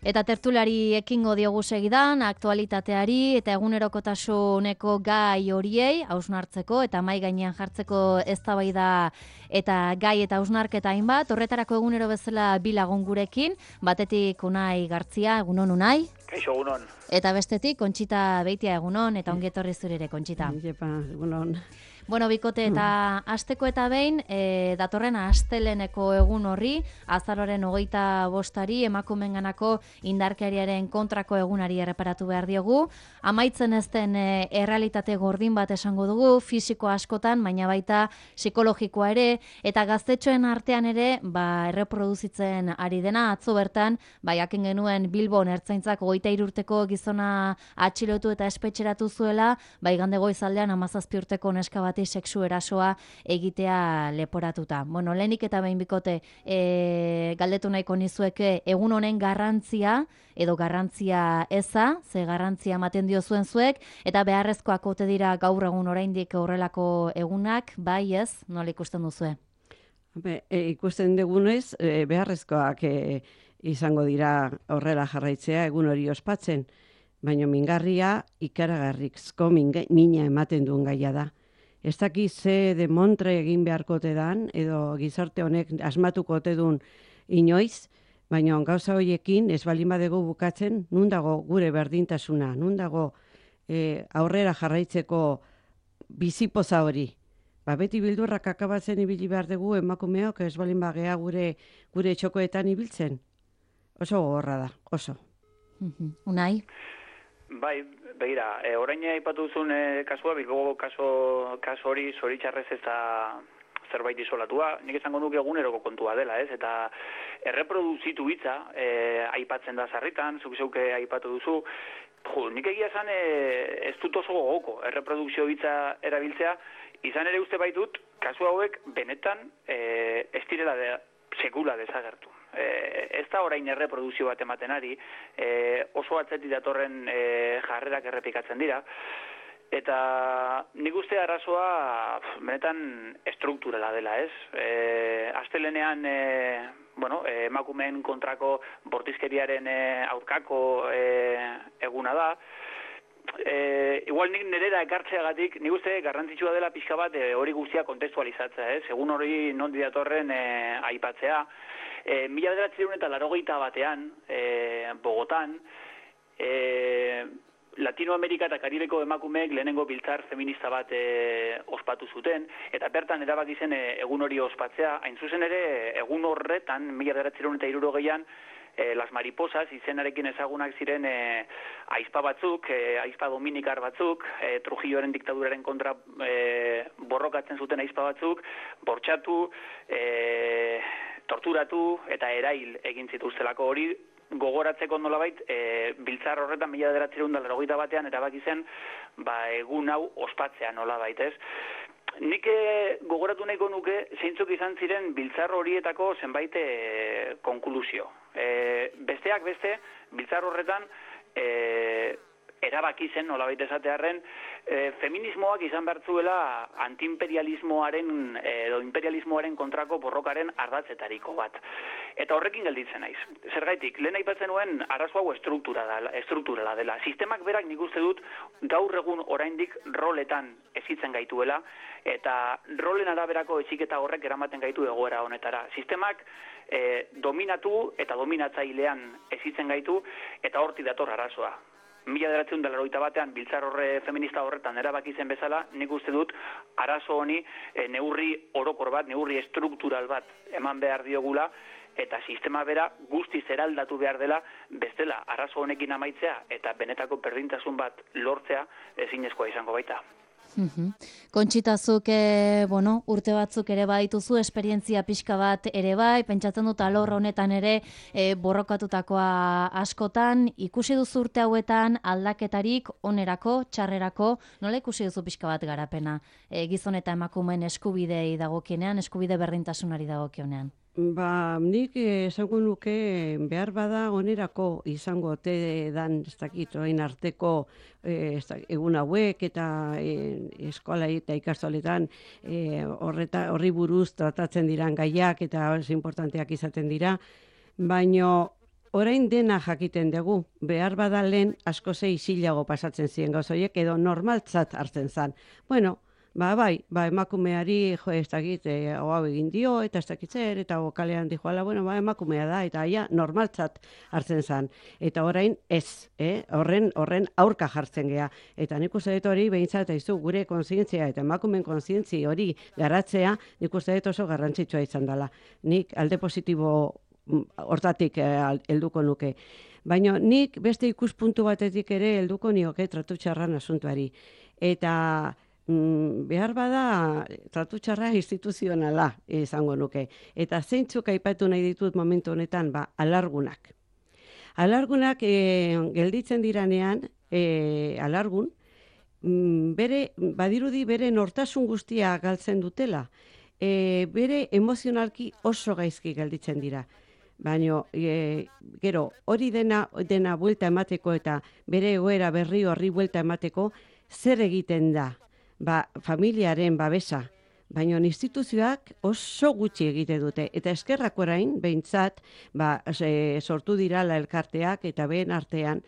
Eta tertulari ekingo diogu segidan, aktualitateari eta egunerokotasuneko gai horiei hausnartzeko eta mai gainean jartzeko eztabaida eta gai eta hausnarketa hainbat. Horretarako egunero bezala bi lagun gurekin, batetik Unai Gartzia, egunon Unai. Kaixo, egunon. Eta bestetik Kontxita Beitia, egunon, eta ongi etorri zure ere, Kontxita. Jepa, egunon. Bueno, bikote, eta asteko eta behin, datorren asteleneko egun horri, azaroren 25 emakumenganako indarkeriaren kontrako egunari erreparatu behar diogu. Amaitzen ez den errealitate gordin bat esango dugu, fisiko askotan, baina baita psikologikoa ere, eta gaztetxoen artean ere, erreproduzitzen ari dena, atzo bertan, jakin genuen Bilbon ertzaintzak 23 urteko gizona atxilotu eta espetxeratu zuela, igande goizaldean 17 urteko neska bati sexu erasoa egitea leporatuta. Bueno, lehenik eta behin bikote galdetu nahiko nizueke egun honen garrantzia edo garrantzia eza, ze garrantzia ematen diozuen zuek, eta beharrezkoak ote dira gaur egun oraindik horrelako egunak, bai ez, nola ikusten duzue? Ikusten dugunez, beharrezkoak izango dira horrela jarraitzea egun hori ospatzen, baina mingarria ikaragarrizko mina ematen duen gaia da. Ez daki ze demontre egin beharkote dan, edo gizarte honek asmatuko ote duen inoiz, baina gauza horiekin ez baldin badego bukatzen, nun dago gure berdintasuna, nun dago aurrera jarraitzeko bizipoza hori. Beti bildurrak akabatzen ibili behar dugu emakumeok ez baldin bagea gure txokoetan ibiltzen. Oso gogorra da, oso. Unai? Bai, begira, orain aipatu duzun kasua, Bilboko kaso hori zoritxarrez ez da zerbait isolatua, nik esango nuke eguneroko kontua dela, ez? Eta erreproduzitu hitza aipatzen da sarritan, zuk zeuke aipatu duzu, nik egia esan ez dut oso gogoko erreprodukzio hitza erabiltzea, izan ere uste baitut, kasu hauek benetan ez direla sekula desagertu. Ez da orain erreprodukzio bat ematen ari, oso atzetik datorren jarrerak errepikatzen dira, eta nik uste arazoa benetan estrukturala dela, ez? Astelenean emakumeen kontrako bortizkeriaren aurkako eguna da, igual nik nerera ekartzeagatik, nik uste garrantzitsua dela pixka bat hori guztia kontestualizatzea, ez? Egun hori nondi datorren aipatzea. 1981 Bogotan, Latinoamerika eta Karibeko emakumeek lehenengo biltzar feminista bat ospatu zuten, eta bertan erabaki zen egun hori ospatzea, hain zuzen ere egun horretan, 1960an, Las Mariposas izenarekin ezagunak ziren aizpa batzuk, aizpa dominikar batzuk, Trujilloren diktaduraren kontra borrokatzen zuten aizpa batzuk, bortxatu, torturatu eta erail egin zituztelako hori gogoratzeko nolabait, biltzar horretan 1981 erabaki zen egun hau ospatzea nolabait, ez? Nik gogoratu nahiko nuke zeintzuk izan ziren biltzar horietako zenbait konklusio. Besteak beste, biltzar horretan erabaki zen, nolabait esatearren, feminismoak izan bertzuela antiimperialismoaren edo imperialismoaren kontrako borrokaren ardatzetariko bat. Eta horrekin gelditzen naiz. Zergaitik, lehen aipatzen nuen arazo hau estrukturala dela. Sistemak berak nik uste dut gaur egun oraindik roletan ezitzen gaituela, eta rolen araberako eziketa horrek eramaten gaitu egoera honetara. Sistemak dominatu eta dominatzailean ezitzen gaitu, eta hortik dator arazoa. 1981 biltzar feminista horretan erabaki zen bezala, nik uste dut arazo honi neurri orokor bat, neurri estruktural bat eman behar diogula, eta sistema bera guztiz eraldatu behar dela, bestela arazo honekin amaitzea eta benetako berdintasun bat lortzea ezinezkoa izango baita. Kontxitazuk, urte batzuk ere badituzu, esperientzia pixka bat ere bai, pentsatzen dut alor honetan ere borrokatutakoa askotan, ikusi duzu urte hauetan aldaketarik onerako, txarrerako, nola ikusi duzu pixka bat garapena, gizon eta emakumeen eskubidei dagokienean, eskubide berdintasunari dagokionean? Nik esango nuke behar bada onerako izango ote dan, ez dakit, orain arteko egun hauek eta eskola eta ikastoletan horri buruz tratatzen diran gaiak eta oso importanteak izaten dira, baino orain dena jakiten dugu, behar badalen asko zei isilago pasatzen ziren gauzoiek, edo normaltzat hartzen zan. Bueno, bai, emakumeari, ez dakit, hau egin dio, eta ez dakit zer, eta kalean dijoala, bueno, emakumea da, eta aia normaltzat hartzen zan. Eta orain ez, horren aurka jartzen gea. Eta nik uste dut hori, behintzat, izu, gure kontzientzia eta emakumen kontzientzi hori garatzea, nik uste dut oso garrantzitsua izan dela. Nik alde positibo hortatik helduko nuke. Baina nik beste ikuspuntu batetik ere helduko nioke tratu txarran asuntuari. Eta behar bada tratu txarra instituzionala izango nuke. Eta zeintzuk aipatu nahi ditut momentu honetan, alargunak. Alargunak gelditzen diranean, alargun, badirudi bere nortasun guztia galtzen dutela. Bere emozionalki oso gaizki gelditzen dira. Baina, gero, hori dena buelta emateko eta bere egoera berri horri buelta emateko, zer egiten da? Familiaren babesa. Baina instituzioak oso gutxi egite dute. Eta eskerrak orain, behintzat, sortu dirala elkarteak eta behen artean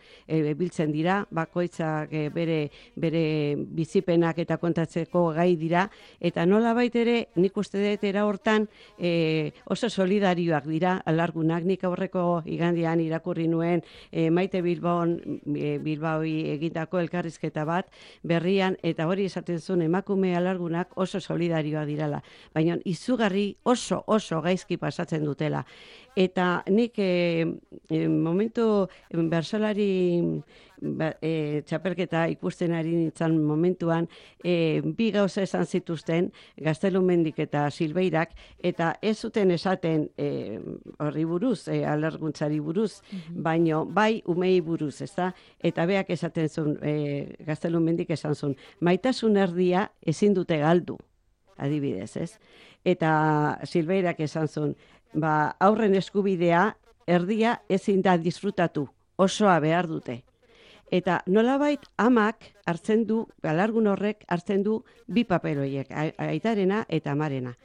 biltzen dira, bakoitzak bere bizipenak eta kontatzeko gai dira, eta nola baitere nik uste dut era hortan oso solidarioak dira alargunak. Nik aurreko igandian irakurri nuen Maite Bilbaoi egindako elkarrizketa bat berrian, eta hori esaten zuen emakume alargunak oso solidarioak dirala, baina izugarri oso gaizki pasatzen dutela. Eta nik momentu bersolari txapelketa ikusten ari nintzen momentuan, bi gauza esan zituzten, Gaztelumendik eta Silbeirak, eta ez zuten esaten horri buruz, alarguntzari buruz, baino bai umei buruz, ezta? Eta beak esaten zuen, Gaztelumendik esan zuen, maitasun erdia ezin dute galdu. Adibidez, ez? Eta Silbeirak esan zuen, aurren eskubidea erdia ezin da disfrutatu, osoa behar dute. Eta nolabait amak hartzen du, alargun horrek hartzen du bi papel horiek, aitarena eta amarena.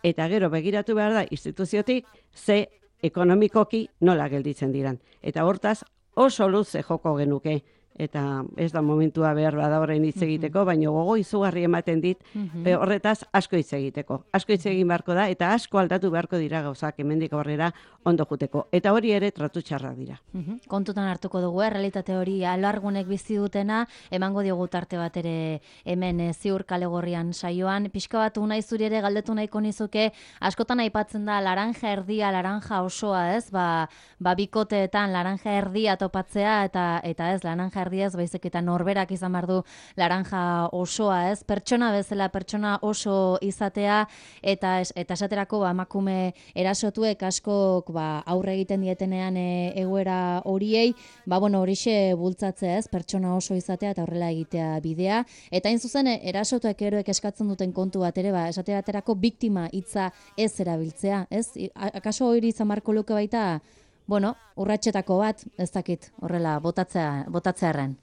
Eta gero begiratu behar da instituziotik ze ekonomikoki nola gelditzen diran. Eta hortaz oso luze joko genuke. Eta ez da momentua behar bada horrein hitz egiteko, baina gogo izugarri ematen dit, horretaz asko hitz egiteko. Asko hitz egin beharko da, eta asko aldatu beharko dira gauzak hemendik aurrera ondo juteko. Eta hori ere tratu txarrak dira. Kontutan hartuko dugu, realitate hori alargunek bizi dutena, emango diogu tarte bat ere hemen Ziur kale gorrian saioan. Pixka bat unai zuri ere galdetu nahiko nizuke, askotan aipatzen da laranja erdia, laranja osoa, ez? Bikoteetan laranja erdia topatzea, eta ez, laranja erdiaz, baizik eta norberak izan behar du laranja osoa, ez? Pertsona bezala, pertsona oso izatea, eta esaterako emakume erasotuek askok aurre egiten dietenean egoera horiei, horixe bultzatzea, ez? Pertsona oso izatea eta horrela egitea bidea. Eta hain zuzen, erasotuek eroek eskatzen duten kontu bat ere, esaterako biktima hitza ez erabiltzea, ez? Akaso hori izan beharko luke baita, urratxetako bat, ez dakit, horrela, botatzearen.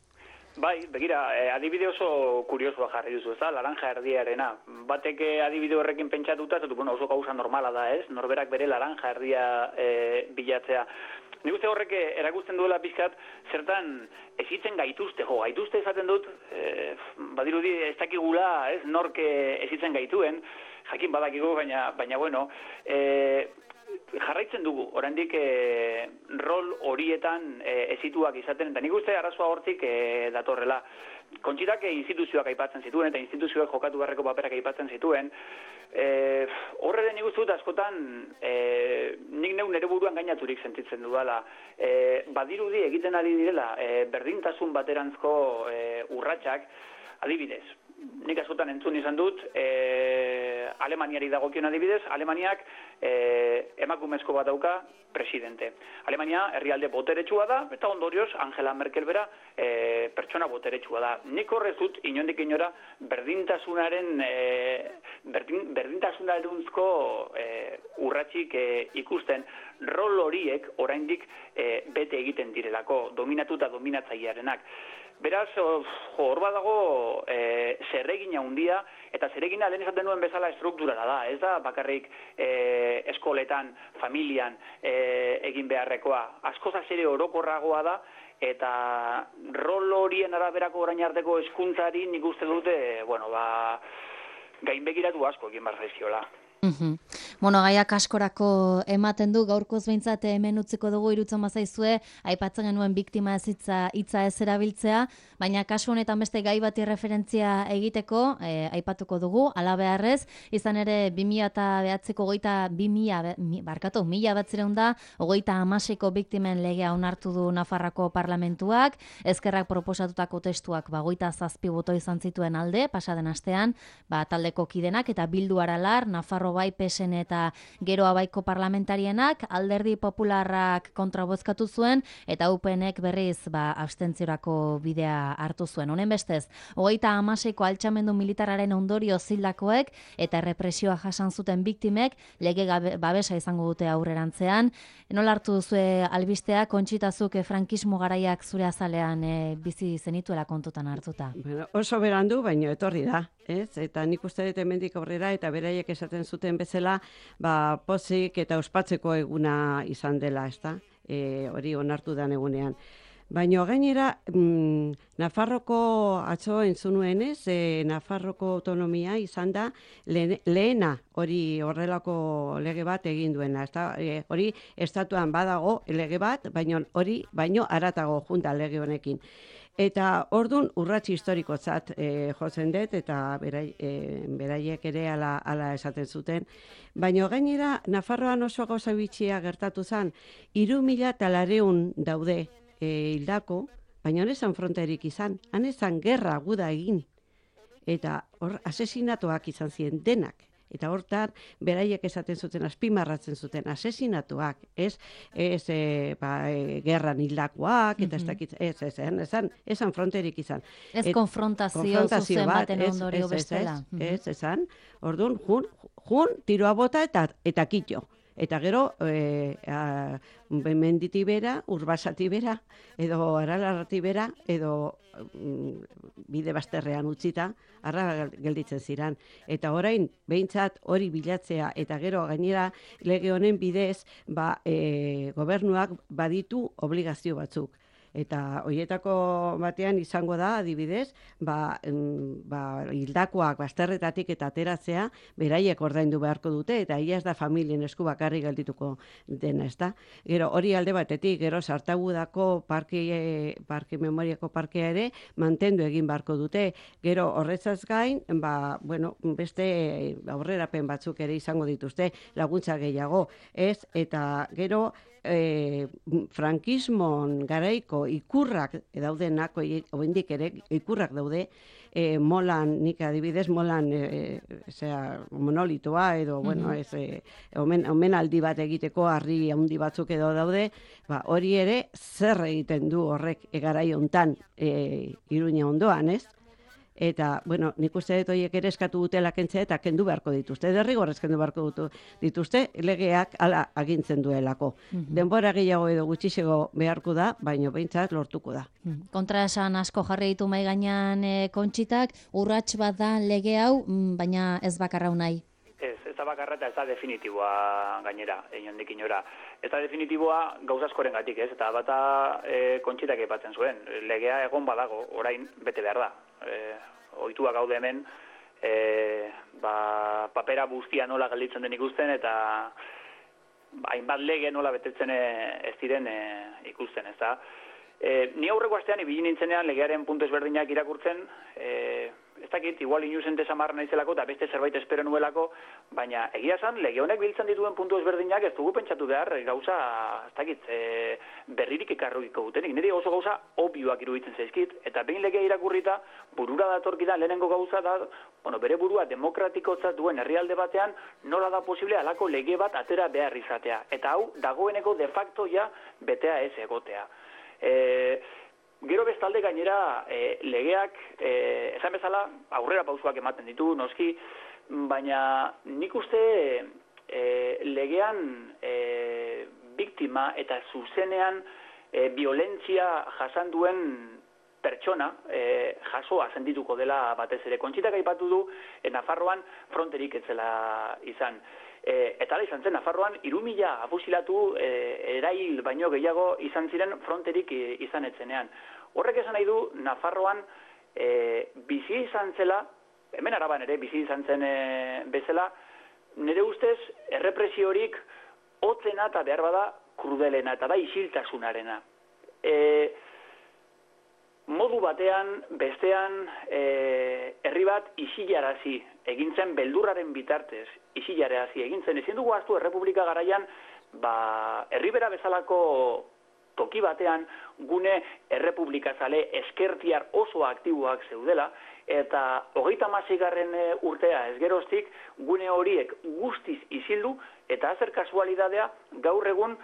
Bai, begira, adibide oso kuriosoa jarri duzu, ez da, laranja erdiarena. Batek adibide horrekin pentsatuta, oso gauza normala da, ez? Norberak bere laranja erdia bilatzea. Nik uste horrek erakusten duela pixkat, zertan ezitzen gaituzte, gaituzte esaten dut, badirudi ez dakigula, ez, nork ezitzen gaituen, jakin badakigu, baina bueno, jarraitzen dugu, oraindik rol horietan ezituak izaten, eta nik uste arazoa hortik datorrela. Kontxitak instituzioak aipatzen zituen, eta instituzioak jokatu beharreko paperak aipatzen zituen. Horre nik uste dut askotan, nik nere buruan gainaturik sentitzen dudala. Badirudi egiten ari direla, berdintasun baterantzko urratsak, adibidez. Nik askotan entzun izan dut, Alemaniari dagokion adibidez, Alemaniak emakumezko bat dauka presidente. Alemania herrialde boteretsua da, eta ondorioz Angela Merkel bera pertsona boteretsua da. Nik horrez dut, inondik inora, berdintasunaruntzko urratsik ikusten, rol horiek oraindik bete egiten direlako, dominatu eta dominatzailearenak. Beraz, hor badago zerregina handia, eta zerregina lehen esaten duen bezala estrukturala da. Ez da bakarrik eskoletan, familian egin beharrekoa. Askozaz ere orokorragoa da, eta rol horien araberako orain arteko hezkuntzari nik uste dute, gainbegiratu asko egin behar zaizkiola. Bueno, gaiak askorako ematen du, gaurkoz behintzat hemen utziko dugu irutzen bazaizue, aipatzen genuen biktima ez hitza ez erabiltzea, baina kasu honetan beste gai bati referentzia egiteko, aipatuko dugu, ala beharrez, izan ere 2009ko mila batzireunda, 36ko biktimen legea onartu du Nafarroako parlamentuak, ezkerrak proposatutako testuak 27 boto izan zituen alde, pasaden astean, taldeko kidenak eta Bildu Aralar, Nafarro bai PSN eta Gero Abaiko parlamentarienak, Alderdi Popularrak kontrabozkatu zuen eta UPNek berriz abstentziorako bidea hartu zuen. Honen bestez, 36ko altxamendu militarraren ondorio zildakoek eta errepresioa jasan zuten biktimek lege babesa izango dute aurrerantzean. Nola hartu duzue albistea, Kontxitazuk frankismo garaiak zure azalean bizi zenituela kontutan hartuta? Bueno, oso berandu, baino etorri da. Eta nik uste dut hemendik aurrera eta beraiek esaten zuten bezala, pozik eta ospatzeko eguna izan dela, ezta? Hori onartu dan egunean. Baina gainera, Nafarroko atzo entzunuenez, Nafarroko autonomia izan da lehena hori horrelako lege bat egin duena. Hori estatuan badago lege bat, baino haratago junta lege honekin. Eta ordun urrats historikotzat jotzen dut, eta beraiek ere ala esaten zuten. Baina gainera, Nafarroan oso gauza bitxia gertatu zen, 3.400 daude hildako, baina honezan fronterik izan, hanezan gerra guda egin. Eta hor asesinatuak izan ziren denak. Eta hortan, beraiek esaten zuten, azpimarratzen zuten, asesinatuak, ez gerran hildakoak, eta esan fronterik izan. Ez konfrontazio zuzen baten ondorio bestela. Ez, esan, orduan, jun, tiroa bota eta kitxo. Eta gero, menditi bera, urbasati bera, edo aralarrati bera, edo bide bazterrean utzita, arra gelditzen ziran. Eta orain, behintzat hori bilatzea, eta gero gainera lege honen bidez, gobernuak baditu obligazio batzuk. Eta horietako batean izango da, adibidez, hildakoak bazterretatik eta ateratzea, beraiek ordaindu beharko dute, eta ia ez da familien esku bakarrik geldituko dena, ez da. Gero hori alde batetik, gero Sartagudako parke memoriako parkea ere, mantendu egin beharko dute. Gero horretzaz gain, beste aurrerapen batzuk ere izango dituzte, laguntza gehiago, ez? Eta gero, frankismon garaiko ikurrak daudenak, oendik ere ikurrak daude, molan, nik adibidez, molan monolitoa edo, omenaldi bat egiteko harri handi batzuk edo daude, hori ere zer egiten du horrek garai hontan Iruña ondoan, ez? Eta, nik uste dut horiek ere eskatu dutela kentzea eta kendu beharko dituzte. Derrigorrez kendu beharko dituzte, legeak ala agintzen duelako. Denbora gehiago edo gutxixego beharko da, baina behintzat lortuko da. Kontraesan asko jarri ditu mahai gainean Kontxitak, urrats bat da lege hau, baina ez bakarra nahi. Ez da bakarra eta ez da definitiboa gainera, inondik inora. Ez da definitiboa gauzaskoren gatik, ez? Eta bata Kontxitak aipatzen zuen, legea egon badago, orain bete behar da. Ohitua gaude hemen, papera guztia nola gelditzen den ikusten, eta hainbat lege nola betetzen ez diren ikusten, ez da. Ni aurreko astean ibili nintzenean legearen puntu ezberdinak irakurtzen, ez dakit, igual inusente samarra naizelako eta beste zerbait espero nuelako, baina egia esan, lege honek biltzen dituen puntu ezberdinak ez dugu pentsatu behar gauza, ez dakit, berririk ekarriko dutenik. Nire oso gauza obioak iruditzen zaizkit, eta behin legea irakurrita, burura datorkidan lehenengo gauza da, bere burua demokratikotzat duen herrialde batean, nola da posible alako lege bat atera behar izatea. Eta hau, dagoeneko de facto ja betea ez egotea. Gero bestalde gainera legeak, esan bezala, aurrera pausuak ematen ditu, noski, baina nik uste legean biktima eta zuzenean violentzia jasan duen pertsona jasoa sentituko dela batez ere. Kontxitak aipatu du Nafarroan fronterik ez zela izan. Eta ala izan zen, Nafarroan 3.000 afusilatu erail baino gehiago izan ziren fronterik izan etzenean. Horrek esan nahi du, Nafarroan bizi izan zela, hemen Araban ere bizi izan zen bezala, nire ustez errepresiorik hotzena eta behar bada krudelena eta da isiltasunarena. Modu batean, bestean, herri bat isilarazi egintzen beldurraren bitartez, isilarazi egintzen. Ezin dugu ahaztu Errepublika garaian, herri bera bezalako toki batean gune errepublikazale eskertiar oso aktiboak zeudela, eta 36. urtea ez geroztik gune horiek guztiz isildu, eta zer kasualidadea gaur egun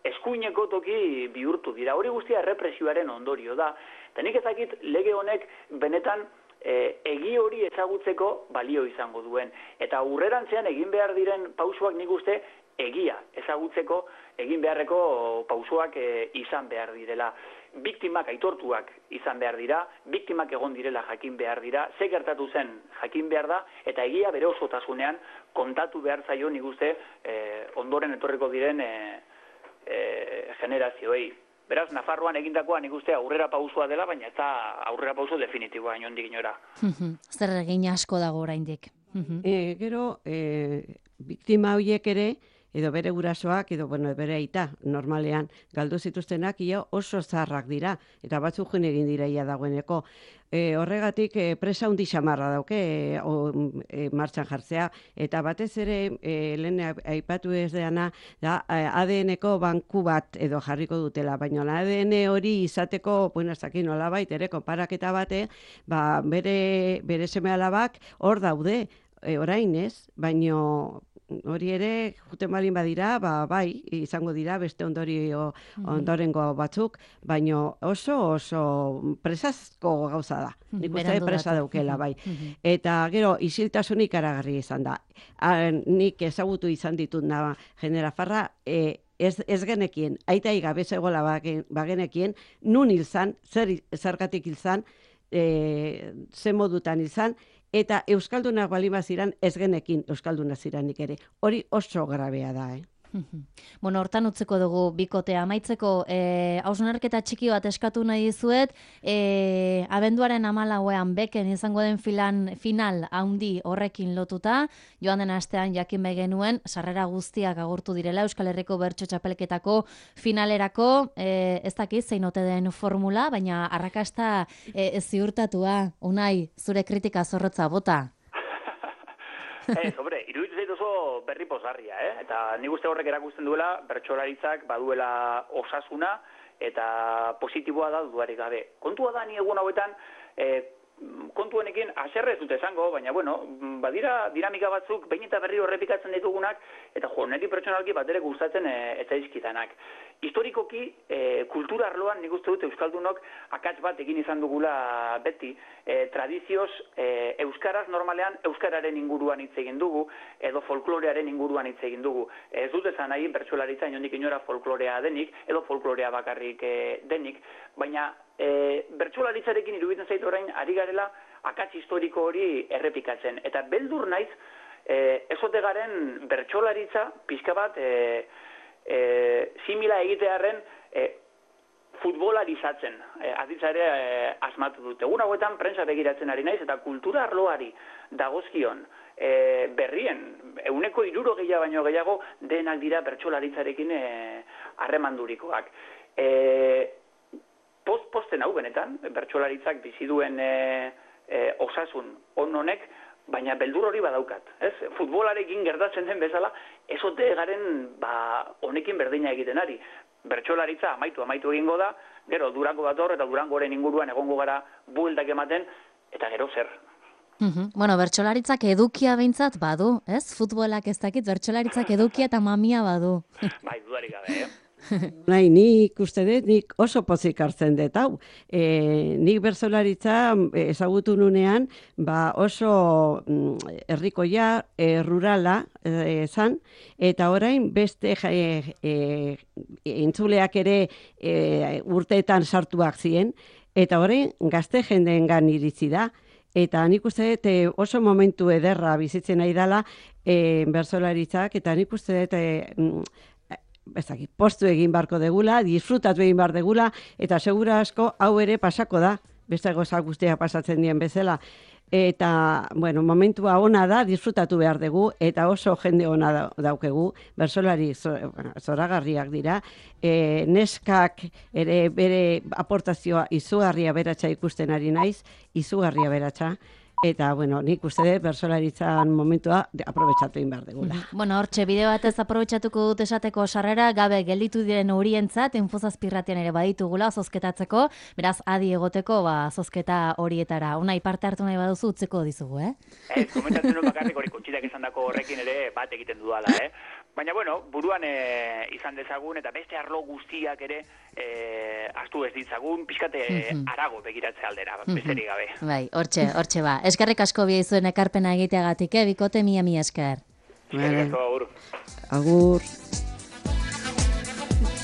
eskuineko toki bihurtu dira. Hori guztia errepresioaren ondorio da. Eta nik ezakit lege honek benetan egi hori ezagutzeko balio izango duen. Eta aurrerantzean egin behar diren pausoak nik uste egia ezagutzeko egin beharreko pausoak izan behar direla. Biktimak aitortuak izan behar dira, biktimak egon direla jakin behar dira, ze gertatu zen jakin behar da, eta egia bere osotasunean kontatu behar zaio nik uste ondoren etorriko diren generazioei. Beraz, Nafarroan egindakoa nik uste aurrera pausoa dela, baina ez da aurrera pauso definitiboa inondik inora. Zer egin asko dago oraindik. Gero, biktima horiek ere, edo bere gurasoak, edo bere aita, normalean, galdu zituztenak oso zaharrak dira, eta batzuk joan egin dira dagoeneko. Horregatik presa hundi xamarra dauke martxan jartzea, eta batez ere, lehen aipatu ez deana, ADN-ko banku bat edo jarriko dutela, baina ADN hori izateko, nolabait, ere, konparaketa bate, bere seme-alabak hor daude, orain ez, baina hori ere, juten balin badira, bai, izango dira beste ondorengo batzuk, baina oso presazko gauza da. Nik uste presa daukela, bai. Eta gero, isiltasunik ikaragarri izan da. Nik ezagutu izan ditut Generafarra, ez genekien, aita igabe zegoela bagenekien, nun hilzan, zergatik hilzan, ze modutan hilzan, eta euskaldunak balima ziran ez genekin euskaldunak ziranik ere. Hori oso grabea da, Bueno, hortan utzeko dugu bikotea amaitzeko, hausnarketa txiki bat eskatu nahi dizuet, abenduaren 14ean beken izango den final handi horrekin lotuta, joan den astean jakin genuen sarrera guztiak agurtu direla Euskal Herriko Bertso Txapelketako finalerako, ez dakit zein ote den formula, baina arrakasta ziurtatua, Unai, zure kritika zorrotza bota. Iruditu zait oso berri pozgarria, eta nik uste horrek erakusten duela bertsolaritzak baduela osasuna eta positiboa da dudarik gabe. Kontua da ni egun hauetan kontu honekin haserre ez dute esango, baina badira dinamika batzuk behin eta berriro errepikatzen ditugunak eta niri pertsonalki bat ere gustatzen ez zaizkitanak. Historikoki, kultura arloan nik uste dut euskaldunok akats bat egin izan dugula beti, tradizioz euskaraz normalean euskararen inguruan hitz egin dugu edo folklorearen inguruan hitz egin dugu. Ez dut esan nahi bertsolaritza inondik inora folklorea denik edo folklorea bakarrik denik, baina bertsolaritzarekin iruditzen zait orain ari garela akats historiko hori errepikatzen. Eta beldur naiz, ezote garen bertsolaritza pixka bat simila egitearren futbolarizatzen, aditza ere asmatu dute. Egun hauetan prensa begiratzen ari naiz eta kultura arloari dagozkion berrien, 60% baino gehiago denak dira bertsolaritzarekin harremandurikoak. Posten hau benetan, bertsolaritzak bizi duen osasun honek, baina beldur hori badaukat. Futbolarekin gertatzen den bezala, ezote garen honekin berdina egiten ari. Bertsolaritza amaitu egingo da, gero Durango dator eta Durangoren inguruan egongo gara bueltak ematen, eta gero zer. Bueno, bertsolaritzak edukia behintzat badu, ez? Futbolak ez dakit, bertsolaritzak edukia eta mamia badu. Bai, dudarik gabe, Nahi, nik uste dut, nik oso pozik hartzen dut, hau. Nik bertsolaritza ezagutu nunean, oso herrikoia, rurala zan, eta orain beste entzuleak ere urteetan sartuak ziren, eta orain gazte jendeengan iritsi da. Eta nik uste dut oso momentu ederra bizitzen nahi dela bertsolaritzak, eta nik uste dut postu egin barko degula, disfrutatu egin bar degula, eta segura asko hau ere pasako da, beste gozak guztia pasatzen dien bezala. Eta, bueno, momentua ona da, disfrutatu behar dugu, eta oso jende ona daukegu, bertsolari zoragarriak dira, neskak ere bere aportazioa izugarria beratxa ikusten ari naiz, izugarria beratxa, eta, bueno, nik uste dut bertsolaritzan momentua aprobetxatu egin behar dugula. Bueno, hortxe, bideo batez aprobetxatuko dut esateko sarrera, gabe gelditu diren horientzat, Infozazpirratian ere baditugula, zozketatzeko, beraz, adi egoteko, zozketa horietara. Unai, parte hartu nahi baduzu utzeko dizugu, Ez, komentatzen dut bakarrik hori kontxitak esan dako horrekin ere bat egiten dudala, Baina, bueno, buruan izan dezagun, eta beste arlo guztiak ere astu ez ditzagun, pixkate arago begiratze aldera, besterik gabe. Bai, hortxe ba. Eskerrik asko biaizuen ekarpena egiteagatik, bikote mila esker. Eskerrik asko, agur. Agur.